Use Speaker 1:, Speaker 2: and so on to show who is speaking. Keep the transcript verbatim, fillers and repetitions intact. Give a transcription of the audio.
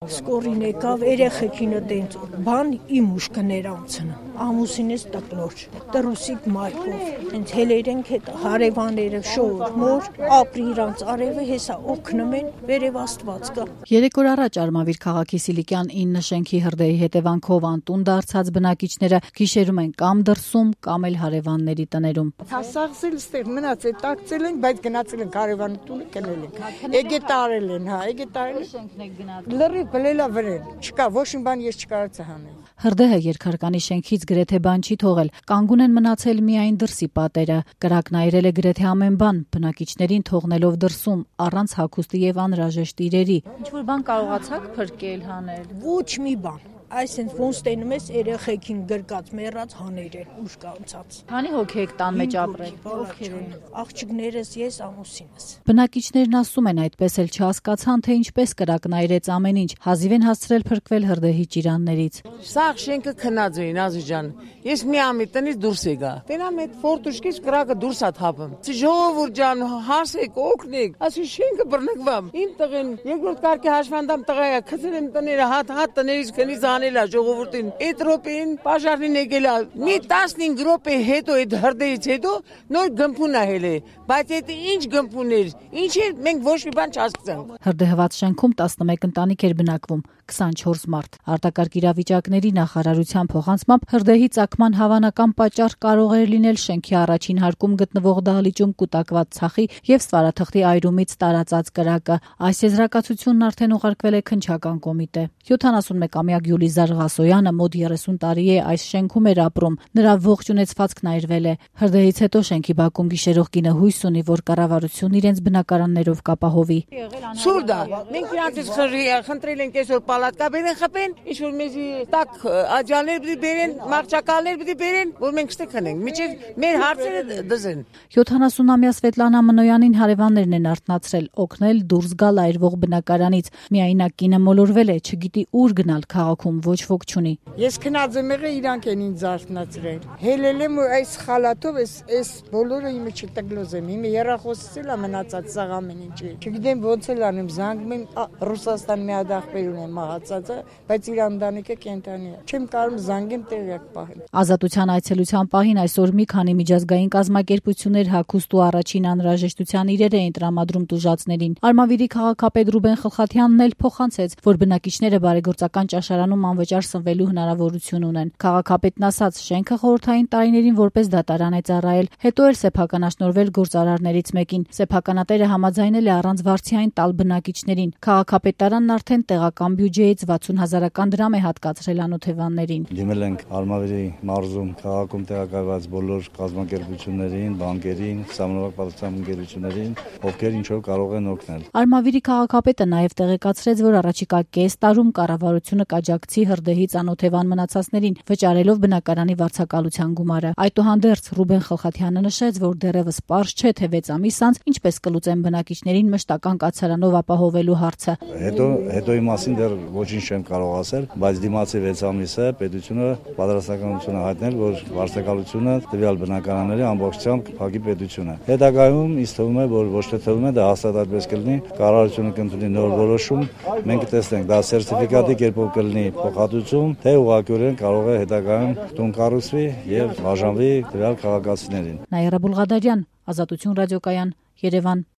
Speaker 1: Սկորին եկավ երեխեքինը տենց բան իմ ուշքներ անցնը ամուսինս տկլոր տրուսիկ մայքով հենց հելերենք հետ հարևանները շոր մոր ապրի իրանց արևը հեսա օգնում են վերև Աստված կա։
Speaker 2: Երեք օր առաջ Արմավիր քաղաքի Սիլիկյան ինը շենքի հրդեհի հետևանքով անտուն դարձած բնակիչները գիշերում են կամ դրսում կամ էլ հարևանների տներում։
Speaker 1: Հասարսել ստեղ մնացել տակցել են, բայց գնացել են հարևանի տունը կնել են։ Եկե տարել են, հա, եկե տարել
Speaker 2: շենքն եք գնացել։
Speaker 1: Լրի բլելա վրեն, չկա, ոչ մի բան ես չկարողացա հանել։
Speaker 2: Հրդեհը երկհարկանի շենքից գրեթե բան չի թողել, կանգուն են մնացել միայն դրսի պատերը, կրակն այրել է գրեթե ամեն բան, բնակիչներին թողնելով դրսում, առանց հագուստի եւ անհրաժեշտ իրերի։ Ինչ-որ բան կարողացաք փրկել, հանել։
Speaker 1: Ոչ մի բան։ Այսինքն ոնց տենում ես երեխեքին գրկած մեռած հաներ են ուշ կանցած։
Speaker 2: Քանի հոգի եք տան մեջ ապրել։
Speaker 1: Ովքեր են։ Աղջիկներս, ես, ամուսինս։
Speaker 2: Բնակիչներն ասում են այդպես էլ չհասկացան, թե ինչպես կրակն այրեց ամեն ինչ, հազիվ են հասցրել փրկվել հրդեհի ճիրաններից։
Speaker 3: Սաղ շենքը քնած էին, Ազի ջան։ Ես մի ամի տնից դուրս եկա։ Տենամ այդ ֆորտուշկից կրակը դուրս ա թափում։ Ժողովուրդ ջան, հասեք, օգնեք։ Ասի շենքը բռնկվամ։ Իմ տղեն երկրորդ կարգի հաշվանդամ տղա է, քցել եմ տները, հատ հատ տներից քնից անելա ժողովրդին։ Այդ րոպեին բաժարին եկելա։ Մի տասնհինգ րոպե հետո այդ հրդեհից հետո նոր գմփուն ա հելե։ Բայց այդ ինչ գմփուն էր, ինչ էր, մենք ոչ մի բան չհասկացանք։
Speaker 2: Հրդեհված շենքում տասնմեկ ընտանիք էր բնակվում, քսանչորս մարդ։ Արտակարգ իրավիճակների նախարարության փոխանցմամբ հրդեհի ծագման հավանական պատճառ կարող էր լինել շենքի առաջին հարկում գտնվող դահլիճում կուտակված ցախի եւ ստվարաթղթի այրումից տարածած կրակը։ Այս եզրակացությունն արդեն ուղարկվել է քննչական կոմիտե։ յոթանասունմեկամյա Գյուլիզար Ղասոյանը մոտ երեսուն տարի է այս շենքում էր ապրում։ Նրա ողջ ունեցվածքն այրվել է։ Հրդեհից հետո շենքի բակում գիշերող կինը հույս ունի, որ կառավարությունն իրենց բնակարաններով կապահովի։
Speaker 3: Սուրդա, մենք իրանցից խնդրել ենք այսօր պալատկա բերեն խփեն, ինչ որ մեզի տակ աջալներ պիտի բերեն, մաղճակալներ պիտի բերեն, որ մենք ստե քնենք, միջև մեր հարցերը դզեն։
Speaker 2: յոթանասունամյա Սվետլանա Մնոյանին հարևաններն են արթնացրել, օգնել դուրս գալ այրվող բնակարանից։ Միայնակ կինը մոլորվել է, չգիտի ուր գնալ, քաղաքում ոչ ոք չունի։
Speaker 1: Ես քնած եմ եղել, իրանք են ինձ արթնացրել։ Հելել եմ այս խալաթով, այս այս բոլորը իմը չտգլոզ եմ, իմը երախոսից էլ մնացած սաղ ամեն ինչի։ Չգիտեմ ոնց էլ անեմ, զանգում եմ Ռուսաստան մի հատ ախպեր ունեմ մահացածը, բայց իր ընտանիքը կենթանի է։ Չեմ կարող զանգեմ տեղյակ պահել։
Speaker 2: Ազատության այցելության պահին այսօր մի քանի միջազգային կազմակերպություններ հագուստ ու առաջին անհրաժեշտության իրեր էին տրամադրում տուժածներին։ Արմավիրի քաղաքապետ Ռուբեն Խլխաթյանն էլ փոխանցեց, որ բնակիչները բարեգործական ճաշարանում անվճար սնվելու հնարավորություն ունեն։ Քաղաքապետն ասաց, շենքը խորհրդային տարիներին որպես դատարան է ծառայել, հետո էլ սեփականաշնորհվել գործարարներից մեկին։ Սեփականատերը համաձայնել է առանց վարձային տալ բնակիչներին։ Քաղաքապետարանն արդեն տեղական բյուջեից վաթսուն հազարական դրամ է հատկացրել անօթևաններին։
Speaker 4: Դիմել ենք Արմավիրի մարզում քաղաքում տեղակայված բոլոր կազմակերպություններին, բանկերին, համանավակ պատասխան ընկերություններին, ովքեր ինչ որ կարող են օգնել։
Speaker 2: Արմավիրի քաղաքապետը նաև տեղեկացրեց, որ առաջիկա կես տարում կառավարությունը կաջակցի հրդեհից անօթևան մնացածներին, վճարելով բնակարանի վարձակալության գումարը։ Այդուհանդերձ Ռուբեն Խլխաթյանը նշեց, որ դեռևս պարզ չէ, թե վեց ամիս անց ինչպես կլուծեն բնակիչներին մշտական կացարանով ապահովելու հարցը։
Speaker 4: Հետո հետոյի մասին դեռ ոչինչ չեմ կարող ասել, բայց դիմացի վեց ամիսը պետությունը պատրաստականություն է հայտնել, որ վարձակալությունը տվյալ բնակարանների ամբողջությամբ կփակի պետությունը։ Հետագայում ինձ թվում է, որ ոչ թե թվում է, դա հաստատ այդպես կլինի, կառավարությունը կընդունի նոր որոշում, մենք կտեսնենք, դա սերտիֆիկատի կերպով կլինի փոխհատուցում, թե ուղղակիորեն կարող է հետագայում տուն կառուցվի եւ բաժանվի տվյալ քաղաքացիներին։
Speaker 2: Նաիրա Բուլղադարյան, Ազատություն ռադիոկայան, Երևան։